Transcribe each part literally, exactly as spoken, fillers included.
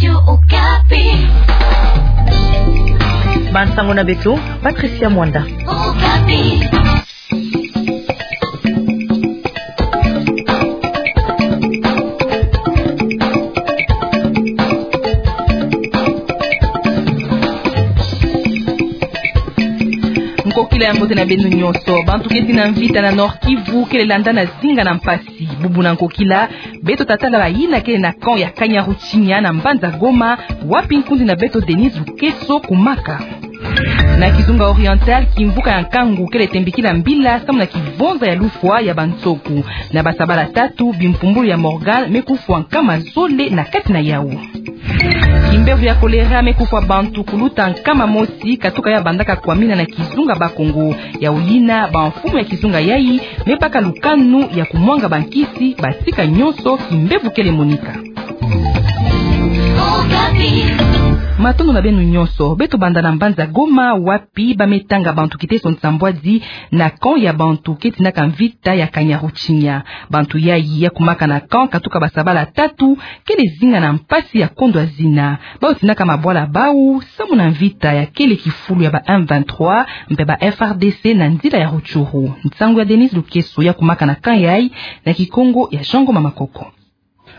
Okapi. Bansango na beto, Patricia Mwanda. Okapi. Nkokila ya mbote na beno nyonso. Bantu keti na mvita na Nord-Kivu kele landa na zinga na mpasi. Bubu na nkokila, beto tatala bayina kele na camp ya Kanyaruchinya na mbanza Goma, wapi nkundi na beto Denise Lukeso kumaka. Na kizunga Oriental, kimvuka ya nkangu kele tembikila mbila samu na kivonza ya lufwa ya banzoku. Na basabala tatu, bimpumbulu ya Morgan me kufwa nkama zole na kati na yawu. Kimbevo ya kolera me kufwa bantu kuluta nkama mosi, katuka ya bandaka kwamina na kizunga Bakongo. Yawu yina, bamfumu ya kizunga yayi me baka lukanu ya kumwanga bankisi, batika nyonso kimbevo kele monika. Matondo na beno nyonso. Beto banda na mbanza Goma, wapi ba me tanga bantu kiteso nsambwadi na camp ya bantu keti na kamvita ya Kanyaruchinya. Bantu yayi ya kumaka na camp katuka basabala tatu, kele zinga na mpasi ya kondwa zina. Bawu tinaka mabwala bawu samu na mvita ya kele kifulu ya ba M vingt-trois mpe ba F R D C na nzila ya Rutshuru. Nsangu ya Denise Lukeso ya kumaka na camp yayi na Kikongo ya Jean Ngoma Makoko.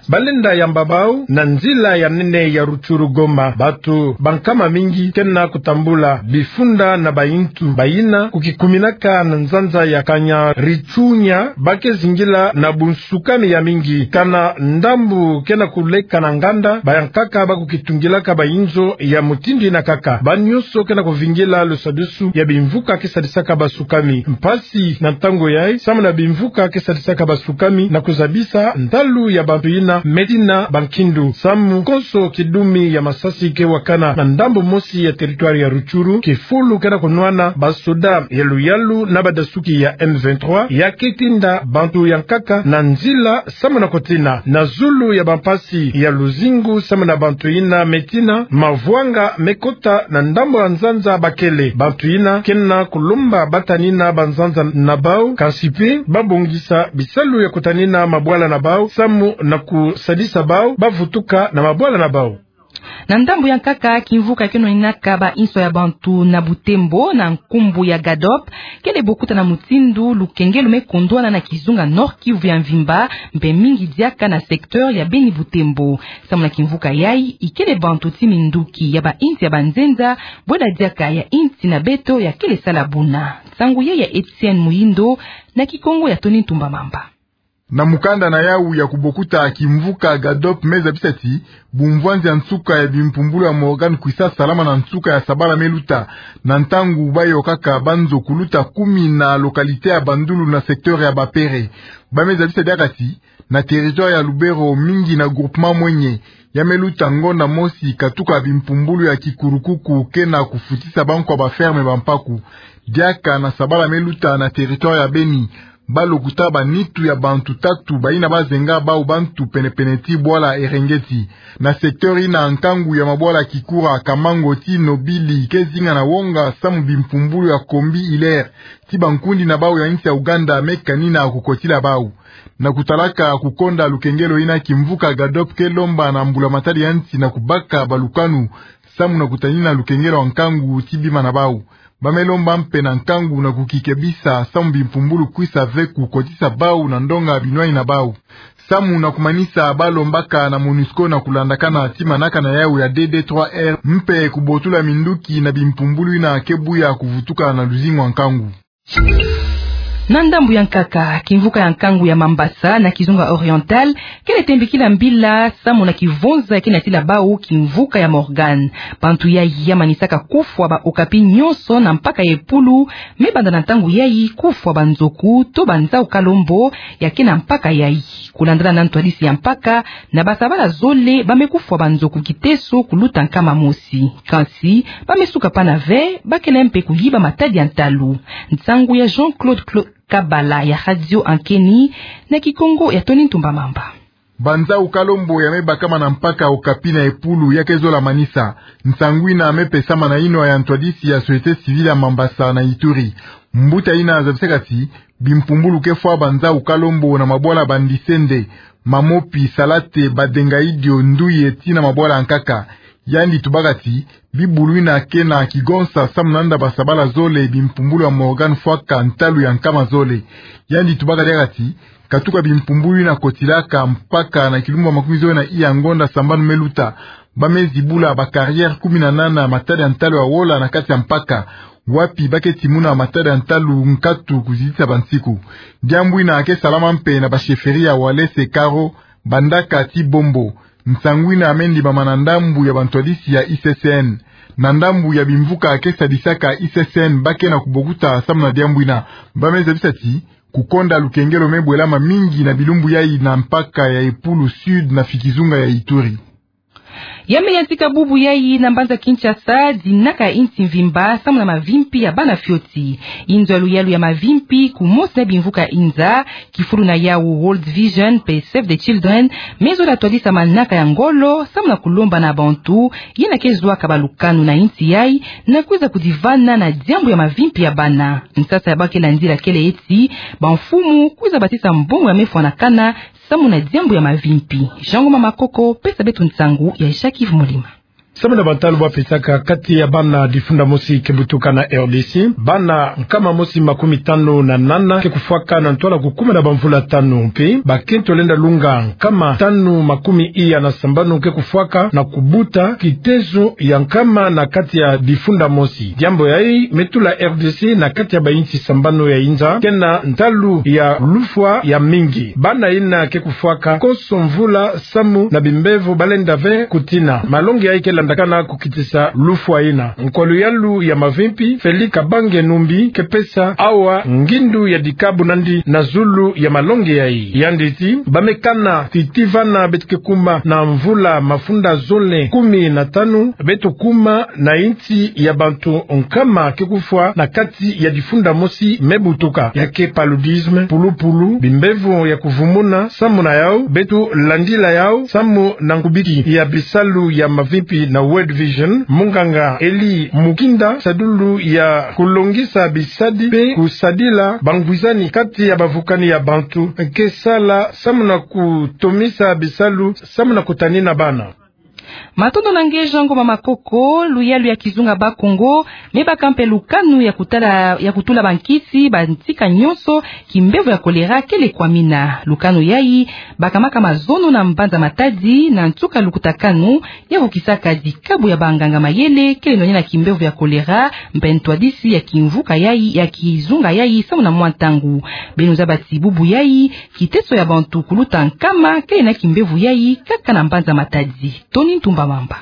Balenda yamba bawu na nzila ya nene ya Rutshuru Goma. Bantu bankama mingi kena kutambula bifunda na bayintu bayina kukikuminaka na nzanza ya Kanyaruchinya, ba ke zingila na bunsukami ya mingi. Kana ndambu kena kuleka na nganda, bayankaka ba kukitungilaka bayinzo ya mutindu yina kaka. Ba nyonso kena kuvingila lusadusu ya bimvuka ke sadisaka basukami. Mpasi na ntangu yayi, samu na bimvuka ke sadisaka basukami na kuzabisa ntalu ya bantu yina me tina bankindu. Samu konso kidumi ya masasi ke wakana na ndambu mosi ya territoire ya Rutshuru, kifulu kena kunwana basoda ya luyalu na badasuki ya M vingt-trois, ya ke tinda bantu yankaka na nzila samu na kutina. Na zulu ya bampasi ya luzingu samu na bantu yina me tina, mavwanga me kota na ndambu ya nzanza ba kele. Bantu yina kena kulomba ba tanina banzanza na bawu, kansi mpe ba bongisa bisalu ya kutanina mabwala na bawu, samu na kusadisa bawu ba vutuka na mabwala na bawu. Na ndambu yankaka, kimvuka keno ninaka ba inso ya bantu na Butembo na nkumbu ya GADOP kele bokuta na mutindu lukengelo me kondwana na kizunga Nord-Kivu ya mvimba, mpe mingi diaka na secteur ya Beni Butembo. Samu na kimvuka yayi, ikele bantu ti minduki ya bayinsi ya banzenza, bwela diaka ya yinsi na beto ya kele sala buna. Nsangu yayi ya Etienne Muyindo, na Kikongo ya Tony Ntumba Mamba. Na mukanda na yawu ya kubokuta, kimvuka GADOP me zabisa ti bumvwanzi ya nsuka ya bimpumbulu ya Morgan kwisa salama na nsuka ya sabala me luta, na ntangu ba yokaka banzo kuluta kumi na localité ya Bandulu na secteur ya Bapere. Ba me zabisa diaka ti na territoire ya Lubero, mingi na groupement Mwenye, ya me luta ngonda mosi katuka bimpumbulu ya kikurukuku kena kufutisa bankwa ba ferme bampaku. Diaka na sabala me luta na territoire ya Beni, ba lokuta banitu ya bantu tatu bayina ba zenga bawu bantu penepene ti bwala Erengeti. Na secteur yina, nkangu ya mabwala Kikura, Kamango ti Nobili ke zinga na wonga samu bimpumbulu ya Kombi Hilaire ti bankundi na bawu ya yinsi ya Uganda me kanina kukotila bawu. Na kutalaka kukonda lukengelo yina, kimvuka GADOP ke lomba na mbula-matadi ya yinsi na kubaka balukanu samu na kutanina lukengelo ya nkangu ti bima na bawu. Ba me lomba mpe na nkangu na kukikebisa samu bimpumbulu kwisa ve kukotisa bawu na ndonga binwani na bawu. Samu na kumanisa, ba lombaka na MONUSCO na kulandakana ti manaka na yawu ya D D trois R mpe kubotula minduki na bimpumbulu yina ke buya kuvutuka na luzingu ya nkangu. Na ndambu yankaka, kimvuka ya nkangu ya Mambasa na kizunga Oriental kele tembikila mbila samu na kivonza ke natila bawu kimvuka ya Morgan. Bantu yayi ya manisaka kufwa ba okapi nyonso na mpaka ya Epulu, me banda na ntangu yayi kufwa banzoku to banzau kalembo ya ke na mpaka yayi. Kulandana na ntwadisi ya mpaka, na basabala zole ba me kufwa banzoku kiteso kuluta nkama mosi. Kansi ba me suka pana ve, ba kele mpe kuyiba matadi ya ntalu. Nsangu ya Jean-Claude Cla-, Kabala ya Radio Ankeni, na Kikongo ya Tony Ntumba Mamba. Banzau kalembo ya me bakama na mpaka Okapi na Epulu ya ke zola manisa. Nsangu yina me pesama na yinwa ya ntwadisi ya société civile ya Mambasa na Ituri. Mbuta yina zabisaka ti bimpumbulu ke fwa banzau kalembo na mabwala Bandisende. Mamopi, salate, badenga idio, nduye, tii na mabwala ya nkaka. Yandi tubaka ti, bibulu ina ke na kigonsa samu na nda basabala zole bimpumbulu ya Morgan Fwaka ntalu ya nkama zole. Yandi tubaka diaka ti, katuka bimpumbulu ina kotilaka mpaka na kilumbu ya makumi zole na iya ngonda sambanu me luta, ba me zibula ba carrière kumi na nana ya matadi ya ntalu ya wola na kati ya mpaka, wapi ba ke timuna matadi ya ntalu nkatu kuzitisa bansiku. Diambu ina ke salama mpe na ba chefferie ya Walese, Karo, Bandaka tii Bombo. Nsangu ina me ndimama na ndambu ya bantwadisi ya I C C N. Na ndambu ya bimvuka ke sadisaka I C C N ba ke na kubokuta samu na diambu ina. Ba me zabisa ti, kukonda lukengelo me bwelama mingi na bilumbu yai na mpaka ya Epulu, Sud na fi kizunga ya Ituri. Ya me yantika bubu yai na mbanza Kinshasa, dinaka ya insi mvimba samu na mavimpi ya bana fioti. Inzo ya luyalu ya mavimpi, kumosi na bimvuka inza, kifulu na yawu World Vision mpe Save the Children, me zola twadisa manaka ya ngolo samu na kulomba na bantu yina ke zwaka balukanu na insi yai na kwiza kudivana na diambu ya mavimpi ya bana. Nsasa ya ba ke landila kele eti, bamfumu kwiza batisa mbongo ya me fwanakana samu na diambu ya mavimpi. Jean Ngoma Makoko, pesa beto nsangu ya Jacques Yves Molima. Samu na bantalu ba pesaka, kati ya bana difunda mosi ke butuka na R D C, bana nkama mosi makumi tanu na nana ke kufwaka na ntwala kukuma na bamvula tanu, mpe bakento lenda lunga nkama tanu makumi iya na sambanu ke kufwaka na kubuta kitezo ya nkama na kati ya difunda mosi. Diambu yai me tula R D C na kati ya bainsi sambanu ya inza ke na ntalu ya lufwa ya mingi. Bana ina ke kufwaka konso mvula samu na bimbevo ba lenda ve kutina. Malongi yai ke landakana kukitisa lufwa ina. Nkwa luyalu ya mavimpi, Felix Kabange Numbi, ke pesa awa ngindu ya dikabu nandi na zulu ya malongi yai. Yandi ti, ba me kana ti tii vana beto ke kuma na mvula mafunda zole kumi na tanu, beto kuma na insi ya bantu nkama ke kufwa na kati ya difunda mosi me butuka. Ya ke paludisme, pulupulu, bimbevo ya kuvumuna, samu na yau, beto landila yau samu na nkubiki ya bisalu ya mavimpi na World Vision, munganga Eli Mukinda, sadulu ya kulongisa bisadi mpe kusadila bangwizani kati ya bavukani ya bantu ke sala samu na kutomisa bisalu samu na kutanina bana. Matondo na nge Jean Ngoma Makoko. Luyalu ya kizunga Bakongo me baka mpe lukanu ya kutala, ya kutula bankisi bantika nyonso kimbevo ya kolera kele kwamina. Lukanu yai bakamaka mazono na mbanza Matadi na nsuka lukutakanu ya vukisaka dikabu ya banganga mayele kele nwanina kimbevo ya kolera mpe ntwadisi ya kimvuka yai, ya kizunga yai samu na mwa ntangu. Beno zaba ti bubu yai, kiteso ya bantu kuluta nkama kele na kimbevo yai kaka na mbanza Matadi. Tony Ntumba Mamba.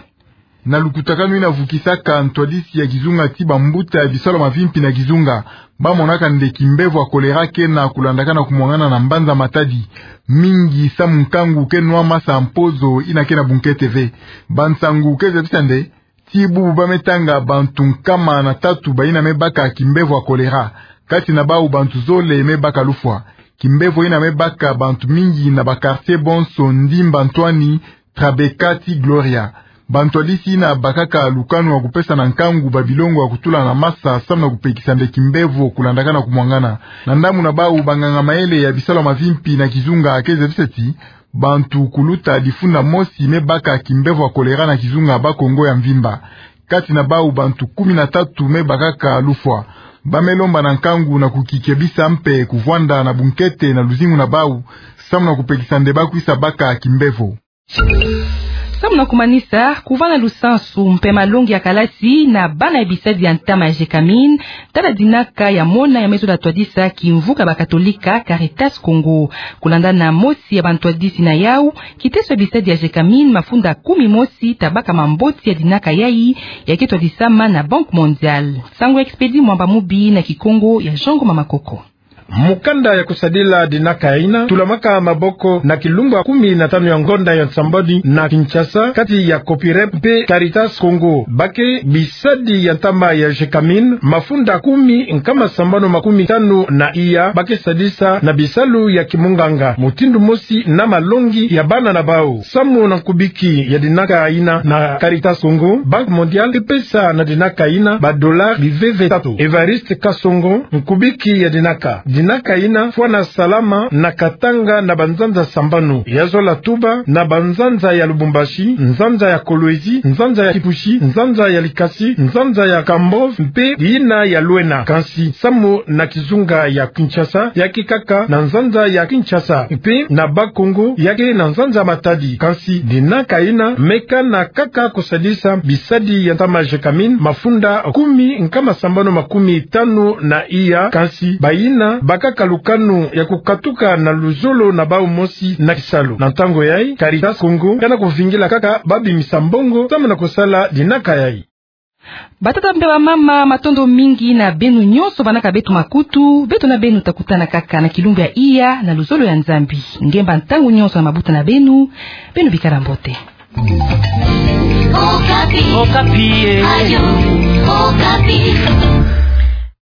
Na lukutakanu ina vukisaka ntwadisi ya kizunga ti bambuta ya bisalu ya mavimpi na kizunga, ba monaka nde kimbevo ya kolera ke na kulandakana kumwangana na mbanza Matadi, mingi samu nkangu ke nwa masa mpozo ina ke na bunkete ve. Bansangu ke zabisa nde ti bubu ba me tanga bantu nkama na tatu ba ina me baka kimbevo ya kolera. Kati na bau bantu zole me baka lufwa. Kimbevo ina me baka bantu mingi na ba quartier bonso, Ndimba Ntwani, Trabeka ti Gloria. Bantwadisi ina bakaka lukanu ya kupesa na nkangu babilongo ya kutula na masa samu na kupekisa nde kimbevo kulandakana kumwangana. Na ndambu na bau, banganga mayele ya bisalu ya mavimpi na kizunga ke zabisa ti bantu kuluta difunda mosi me baka kimbevo ya kolera na kizunga Bakongo ya mvimba. Kati na bau bantu kumi na tatu me bakaka lufwa. Ba me lomba na nkangu na kukikebisa mpe kuvwanda na bunkete na luzingu na bau, samu na kupekisa nde ba kwisa baka kimbevo. Samu na kumanisa, kuvana lusansu mpe malongi ya kalasi na bana ya bisadi ya ntama ya Gécamines, tala dinaka ya mona ya me zola twadisa kimvuka bakatolika Caritas Congo. Kulanda na mosi ya bantwadisi na yau, kiteso ya bisadi ya Gécamines mafunda kumi mosi ta baka mamboti ya dinaka yai, ya ke twadisama na Banque Mondiale. Sango ya Expédit Mwamba Mubi na Kikongo ya Jean Ngoma Makoko. Mukanda ya kusadila dinaka ina tulamaka maboko na kilumbu ya kumi na tanu ya ngonda ya nsambwadi na Kinshasa, kati ya Copirep mpe Caritas Congo. Ba ke bisadi ya ntama ya Gécamines, mafunda kumi nkama sambanu makumi tanu na iya, ba ke sadisa na bisalu ya kimunganga, mutindu mosi na malongi ya bana na bau. Samu na nkubiki ya dinaka ina na Caritas Congo, Banque Mondiale ke pesa na dinaka ina ba dollars biveve tatu. Évariste Kasongo, nkubiki ya dinaka. Dinaka ina fwana salama na Katanga na banzanza sambanu. Ya zola tuba na banzanza ya Lubumbashi, nzanza ya Kolwezi, nzanza ya Kipushi, nzanza ya Likasi, nzanza ya Kambove, mpe ina ya Lwena. Kansi samu na kizunga ya Kinshasa, ya ke kaka na nzanza ya Kinshasa, mpe na Bas-Congo, ya ke na nzanza Matadi. Kansi dinaka ina meka na kaka kusadisa bisadi ya ntama Gécamines, mafunda kumi nkama sambanu makumi tanu na iya, kansi bayina bakaka lukanu ya kukatuka na luzolo na bau mosi na kisalu. Na ntangu yayi, Caritas Congo kana kuvingila kaka babimisa mbongo samu na kusala dinaka yayi. Batata mpe bamama, matondo mingi na beno nyonso banaka beto makutu. Beto na beno takutana kaka na kilumbu ya iya na luzolo ya Nzambi. Ngemba ntangu nyonso na mabuta na beno. Beno bikala mbote. Okapi. Okapi, eh. Radio Okapi.